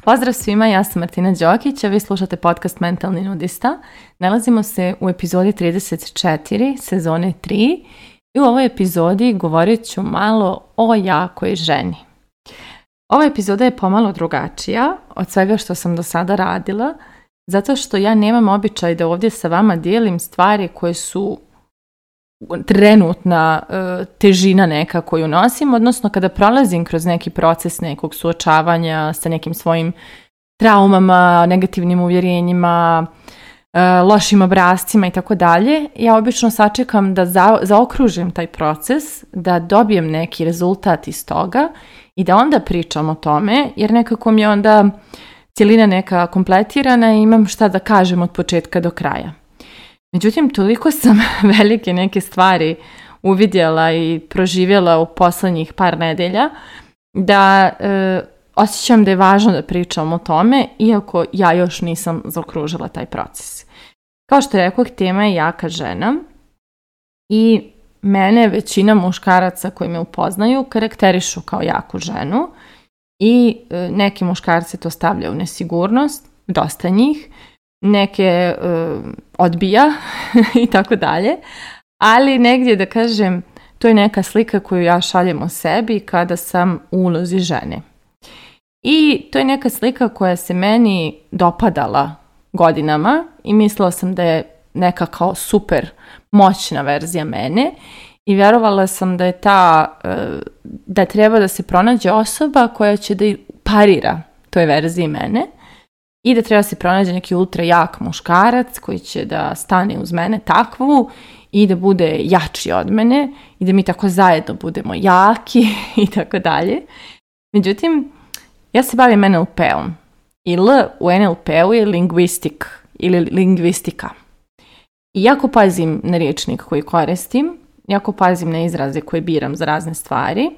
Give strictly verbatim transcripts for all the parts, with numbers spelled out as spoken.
Pozdrav svima, ja sam Martina Đokić, a vi slušate podcast Mentalni nudista. Nalazimo se u epizodi trideset četiri, sezone tri i u ovoj epizodi govorit ću malo o jakoj ženi. Ova epizoda je pomalo drugačija od svega što sam do sada radila, zato što ja nemam običaj da ovdje sa vama dijelim stvari koje su trenutna e, težina neka koju nosim, odnosno kada prolazim kroz neki proces nekog suočavanja sa nekim svojim traumama, negativnim uvjerenjima, e, lošim obrascima i tako dalje, ja obično sačekam da za, zaokružim taj proces, da dobijem neki rezultat iz toga i da onda pričam o tome, jer nekako mi je onda cjelina neka kompletirana i imam šta da kažem od početka do kraja. Međutim, toliko sam velike neke stvari uvidjela i proživjela u posljednjih par nedelja da e, osjećam da je važno da pričam o tome, iako ja još nisam zaokružila taj proces. Kao što rekoh, tema je jaka žena i mene većina muškaraca koji me upoznaju karakterišu kao jaku ženu i e, neki muškarci to stavljaju u nesigurnost, dosta njih, neke uh, odbija i tako dalje, ali negdje da kažem, to je neka slika koju ja šaljem o sebi kada sam u ulozi žene. I to je neka slika koja se meni dopadala godinama i mislila sam da je neka kao super moćna verzija mene i vjerovala sam da je ta, uh, da treba da se pronađe osoba koja će da parira toj verziji mene. I da treba se pronađe neki ultra jak muškarac koji će da stane uz mene takvu i da bude jači od mene i da mi tako zajedno budemo jaki i tako dalje. Međutim, ja se bavim en el pe-om i L u en el pe-u je linguistik ili lingvistika. I jako pazim na rječnik koji koristim, jako pazim na izraze koje biram za razne stvari.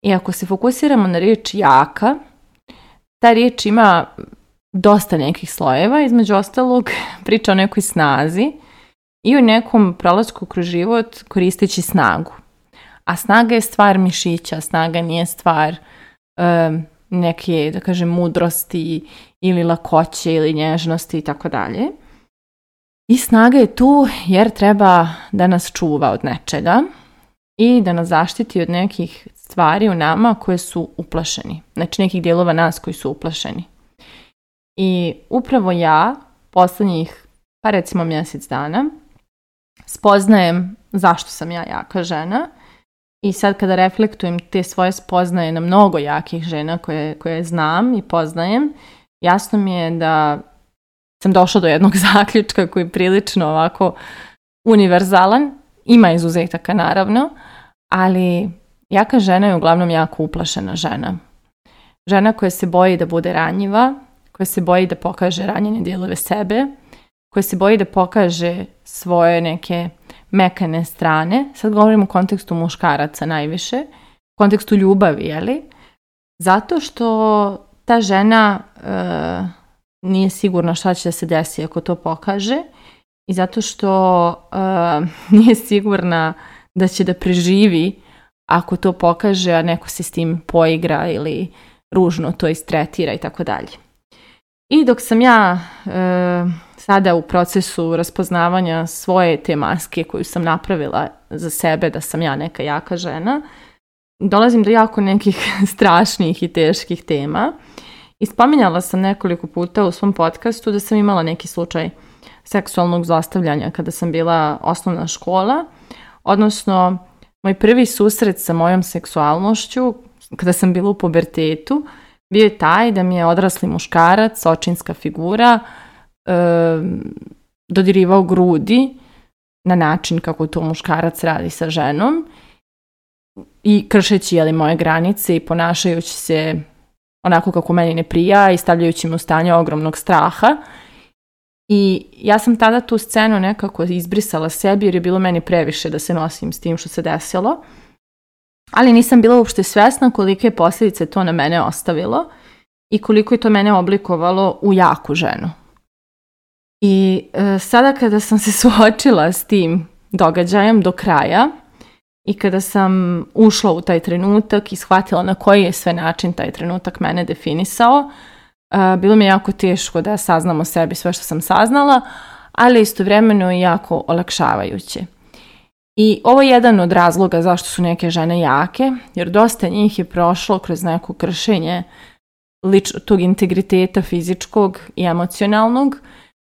I ako se fokusiramo na riječ jaka, ta riječ ima dosta nekih slojeva, između ostalog priča o nekoj snazi i o nekom prolasku kroz život koristeći snagu. A snaga je stvar mišića, snaga nije stvar um, neke, da kažem, mudrosti ili lakoće ili nježnosti i tako dalje. I snaga je tu jer treba da nas čuva od nečega i da nas zaštiti od nekih stvari u nama koje su uplašeni. Znači nekih dijelova nas koji su uplašeni. I upravo ja, posljednjih, pa recimo mjesec dana, spoznajem zašto sam ja jaka žena i sad kada reflektujem te svoje spoznaje na mnogo jakih žena koje, koje znam i poznajem, jasno mi je da sam došla do jednog zaključka koji je prilično ovako univerzalan, ima izuzetaka naravno, ali jaka žena je uglavnom jako uplašena žena. Žena koja se boji da bude ranjiva, koja se boji da pokaže ranjene dijelove sebe, koja se boji da pokaže svoje neke mekane strane. Sad govorim u kontekstu muškaraca najviše, u kontekstu ljubavi, jeli? Zato što ta žena e, nije sigurna šta će da se desi ako to pokaže i zato što e, nije sigurna da će da preživi ako to pokaže, a neko se s tim poigra ili ružno to istretira i tako dalje. I dok sam ja e, sada u procesu raspoznavanja svoje te maske koju sam napravila za sebe da sam ja neka jaka žena, dolazim do jako nekih strašnih i teških tema. I spominjala sam nekoliko puta u svom podcastu da sam imala neki slučaj seksualnog zlostavljanja kada sam bila osnovna škola, odnosno moj prvi susret sa mojom seksualnošću kada sam bila u pubertetu bio je taj da mi je odrasli muškarac, očinska figura, e, dodirivao grudi na način kako to muškarac radi sa ženom i kršeći jeli, moje granice i ponašajući se onako kako meni ne prija i stavljajući me u stanje ogromnog straha. I ja sam tada tu scenu nekako izbrisala sebi jer je bilo meni previše da se nosim s tim što se desilo. Ali nisam bila uopšte svjesna kolike posljedice to na mene ostavilo i koliko je to mene oblikovalo u jaku ženu. I e, sada kada sam se suočila s tim događajem do kraja i kada sam ušla u taj trenutak i shvatila na koji je sve način taj trenutak mene definisao, bilo mi je jako teško da saznam o sebi sve što sam saznala, ali istovremeno i jako olakšavajuće. I ovo je jedan od razloga zašto su neke žene jake, jer dosta njih je prošlo kroz neko kršenje lič, tog integriteta fizičkog i emocionalnog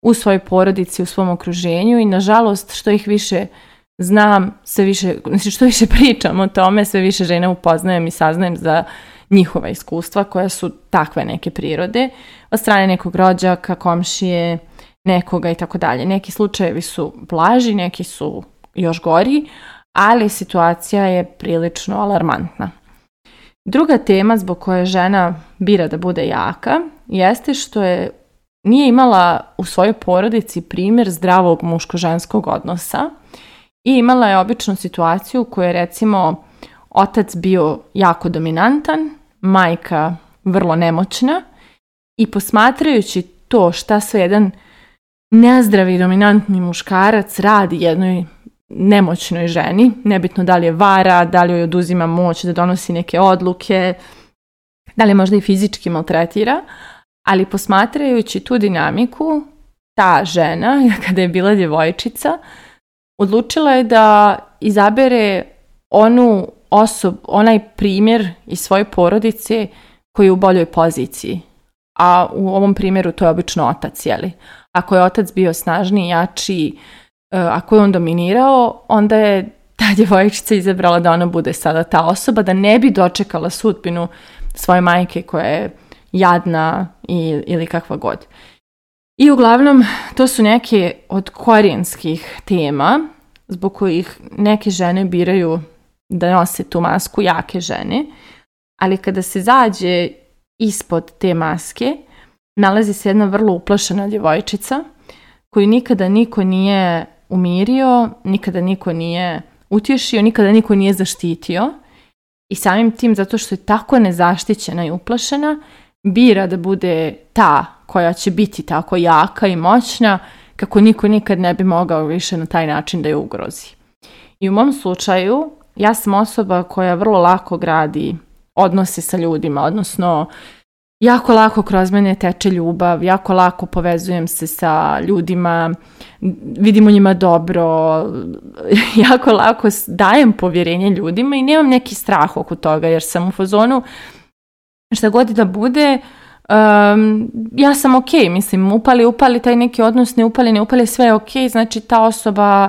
u svojoj porodici, u svom okruženju i nažalost što ih više znam, sve više, znači što više pričam o tome, sve više žena upoznajem i saznajem za njihova iskustva koja su takve neke prirode, od strane nekog rođaka, komšije, nekoga i tako dalje. Neki slučajevi su blaži, neki su još gori, ali situacija je prilično alarmantna. Druga tema zbog koje žena bira da bude jaka jeste što je nije imala u svojoj porodici primjer zdravog muško-ženskog odnosa i imala je običnu situaciju u kojoj je recimo otac bio jako dominantan, majka vrlo nemoćna i posmatrajući to šta sve jedan nezdravi dominantni muškarac radi jednoj nemoćnoj ženi, nebitno da li je vara, da li joj oduzima moć da donosi neke odluke, da li možda i fizički maltretira, ali posmatrajući tu dinamiku, ta žena, kada je bila djevojčica, odlučila je da izabere onu osob, onaj primjer iz svoje porodice koji je u boljoj poziciji. A u ovom primjeru to je obično otac, jeli? Ako je otac bio snažniji, jači, ako je on dominirao, onda je ta djevojčica izabrala da ona bude sada ta osoba, da ne bi dočekala sudbinu svoje majke koja je jadna i, ili kakva god. I uglavnom, to su neke od korijenskih tema zbog kojih neke žene biraju da nose tu masku jake žene, ali kada se zađe ispod te maske, nalazi se jedna vrlo uplašena djevojčica koju nikada niko nije umirio, nikada niko nije utješio, nikada niko nije zaštitio i samim tim, zato što je tako nezaštićena i uplašena, bira da bude ta koja će biti tako jaka i moćna kako niko nikad ne bi mogao više na taj način da je ugrozi. I u mom slučaju, ja sam osoba koja vrlo lako gradi odnose sa ljudima, odnosno jako lako kroz mene teče ljubav, jako lako povezujem se sa ljudima, vidim u njima dobro, jako lako dajem povjerenje ljudima i nemam neki strah oko toga jer sam u fazonu šta god da bude, um, ja sam ok, mislim, upali, upali taj neki odnos, ne upali, ne upali, sve je ok, znači ta osoba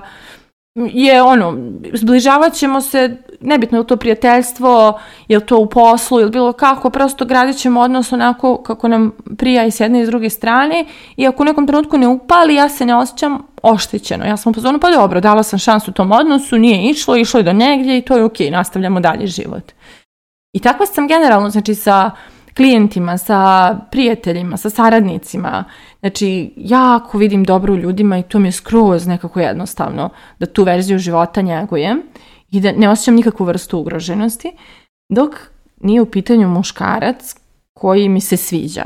je ono, zbližavat ćemo se, nebitno je li to prijateljstvo, je li to u poslu ili bilo kako, prosto gradit ćemo odnos onako kako nam prija i s jedne i s druge strane i ako u nekom trenutku ne upali, ja se ne osjećam oštećeno. Ja sam u pozornu, pa dobro, dala sam šansu tom odnosu, nije išlo, išlo je do negdje i to je ok, nastavljamo dalje život. I tako sam generalno, znači sa klijentima, sa prijateljima, sa saradnicima, znači jako vidim dobro u ljudima i to mi je skroz nekako jednostavno da tu verziju života njegujem i da ne osjećam nikakvu vrstu ugroženosti, dok nije u pitanju muškarac koji mi se sviđa.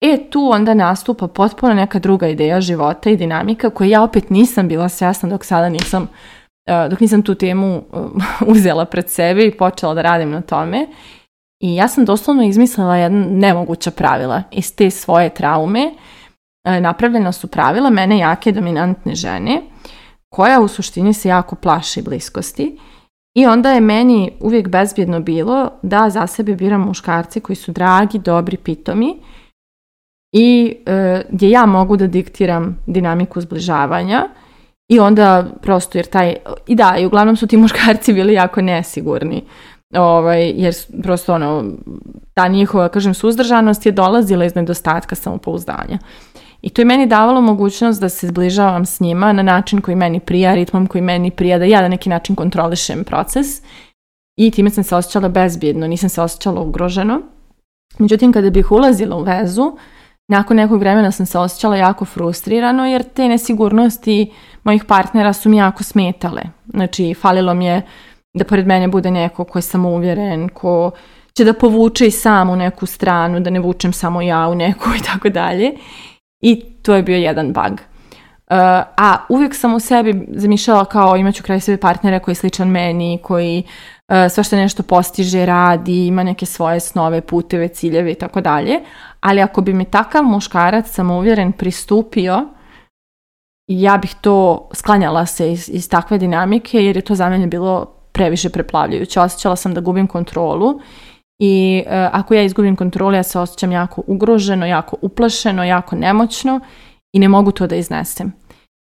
E tu onda nastupa potpuno neka druga ideja života i dinamika koju ja opet nisam bila svjesna dok sada nisam, dok nisam tu temu uzela pred sebe i počela da radim na tome. I ja sam doslovno izmislila jedna nemoguća pravila iz te svoje traume. Napravljena su pravila mene jake dominantne žene koja u suštini se jako plaši bliskosti i onda je meni uvijek bezbjedno bilo da za sebe biram muškarce koji su dragi, dobri, pitomi i e, gdje ja mogu da diktiram dinamiku zbližavanja i onda prosto jer taj, i da, i uglavnom su ti muškarci bili jako nesigurni. Ovaj, jer prosto ono, ta njihova, kažem, suzdržanost je dolazila iz nedostatka samopouzdanja. I to je meni davalo mogućnost da se zbližavam s njima na način koji meni prija, ritmom koji meni prija, da ja na neki način kontrolišem proces i time sam se osjećala bezbjedno, nisam se osjećala ugroženo. Međutim, kada bih ulazila u vezu, nakon nekog vremena sam se osjećala jako frustrirano jer te nesigurnosti mojih partnera su mi jako smetale. Znači, falilo mi je da pored mene bude neko ko je samouvjeren, ko će da povuče i sam u neku stranu, da ne vučem samo ja u neku i tako dalje. I to je bio jedan bug. a uvijek sam u sebi zamišljala kao imaću kraj sebe partnera koji je sličan meni, koji uh, sve što nešto postiže, radi, ima neke svoje snove, puteve, ciljeve i tako dalje. Ali ako bi mi takav muškarac samouvjeren pristupio, ja bih to sklanjala se iz, iz takve dinamike jer je to za mene bilo previše preplavljujuće. Osjećala sam da gubim kontrolu i uh, ako ja izgubim kontrolu, ja se osjećam jako ugroženo, jako uplašeno, jako nemoćno i ne mogu to da iznesem.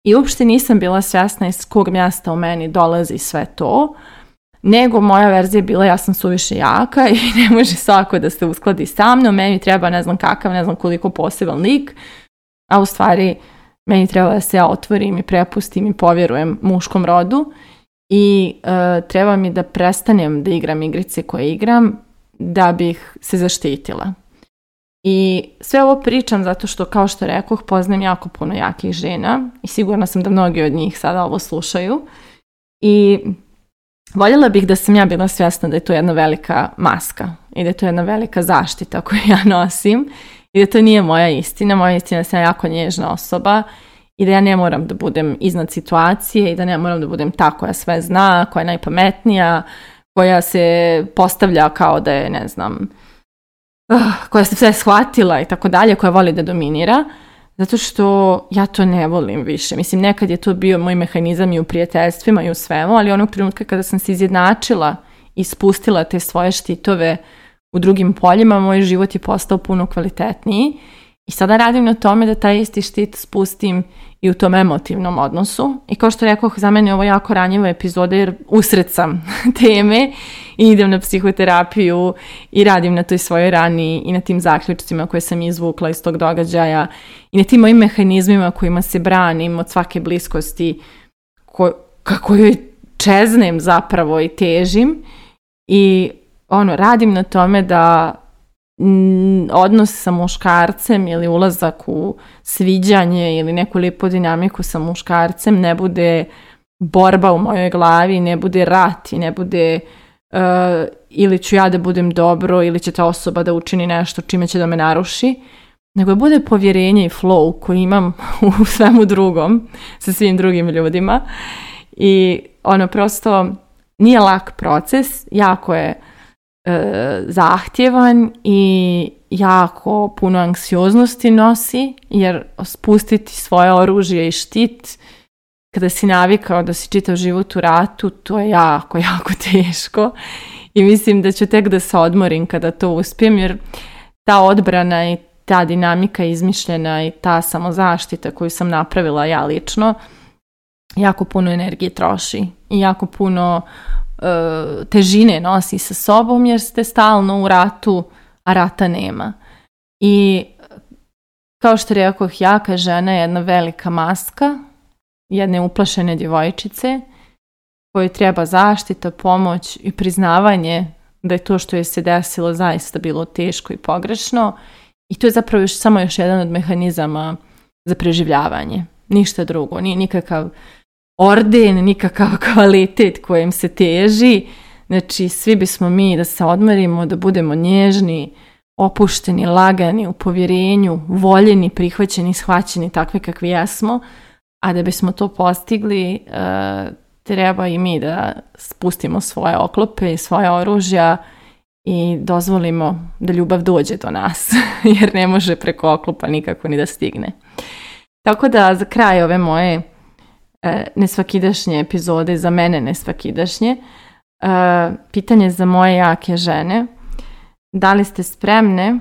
I uopšte nisam bila svjesna iz kog mjesta u meni dolazi sve to, nego moja verzija je bila ja sam suviše jaka i ne može svako da se uskladi sa mnom, meni treba ne znam kakav, ne znam koliko poseban lik, a u stvari meni treba da se ja otvorim i prepustim i povjerujem muškom rodu i uh, treba mi da prestanem da igram igrice koje igram da bih se zaštitila. I sve ovo pričam zato što, kao što rekoh, poznajem jako puno jakih žena i sigurna sam da mnogi od njih sada ovo slušaju. I voljela bih da sam ja bila svjesna da je to jedna velika maska i da je to jedna velika zaštita koju ja nosim i da to nije moja istina. Moja istina je da sam jako nježna osoba i da ja ne moram da budem iznad situacije i da ne moram da budem ta koja sve zna, koja je najpametnija, koja se postavlja kao da je, ne znam, uh, koja se sve shvatila i tako dalje, koja voli da dominira, zato što ja to ne volim više. Mislim, nekad je to bio moj mehanizam i u prijateljstvima i u svemu, ali onog trenutka kada sam se izjednačila i spustila te svoje štitove u drugim poljima, moj život je postao puno kvalitetniji i sada radim na tome da taj isti štit spustim i u tom emotivnom odnosu. I kao što rekoh, za mene je ovo jako ranjiva epizoda jer usred sam teme i idem na psihoterapiju i radim na toj svojoj rani i na tim zaključcima koje sam izvukla iz tog događaja i na tim mojim mehanizmima kojima se branim od svake bliskosti ko, kako joj čeznem zapravo i težim i ono, radim na tome da odnos sa muškarcem ili ulazak u sviđanje ili neku lipu dinamiku sa muškarcem ne bude borba u mojoj glavi, ne bude rat i ne bude uh, ili ću ja da budem dobro ili će ta osoba da učini nešto čime će da me naruši, nego bude povjerenje i flow koji imam u svemu drugom sa svim drugim ljudima i ono prosto nije lak proces, jako je zahtjevan i jako puno anksioznosti nosi, jer spustiti svoje oružje i štit kada si navikao da si čitav život u ratu, to je jako, jako teško i mislim da ću tek da se odmorim kada to uspijem, jer ta odbrana i ta dinamika izmišljena i ta samozaštita koju sam napravila ja lično jako puno energije troši i jako puno težine nosi sa sobom jer ste stalno u ratu, a rata nema. I kao što rekoh, jaka žena je jedna velika maska jedne uplašene djevojčice kojoj treba zaštita, pomoć i priznavanje da je to što je se desilo zaista bilo teško i pogrešno i to je zapravo još, samo još jedan od mehanizama za preživljavanje. Ništa drugo, nije nikakav orden, nikakav kvalitet kojem se teži. Znači, svi bismo mi da se odmorimo, da budemo nježni, opušteni, lagani, u povjerenju, voljeni, prihvaćeni, shvaćeni takve kakvi jesmo, a da bismo to postigli, treba i mi da spustimo svoje oklope i svoje oružja i dozvolimo da ljubav dođe do nas, jer ne može preko oklopa nikako ni da stigne. Tako da za kraj ove moje nesvakidašnje epizode, za mene nesvakidašnje, pitanje za moje jake žene: da li ste spremne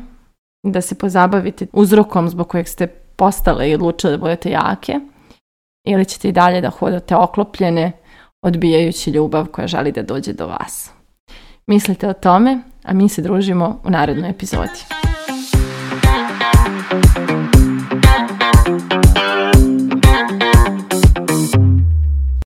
da se pozabavite uzrokom zbog kojeg ste postale i odlučile da budete jake, ili ćete i dalje da hodate oklopljene, odbijajući ljubav koja želi da dođe do vas? Mislite o tome, a mi se družimo u narednoj epizodi.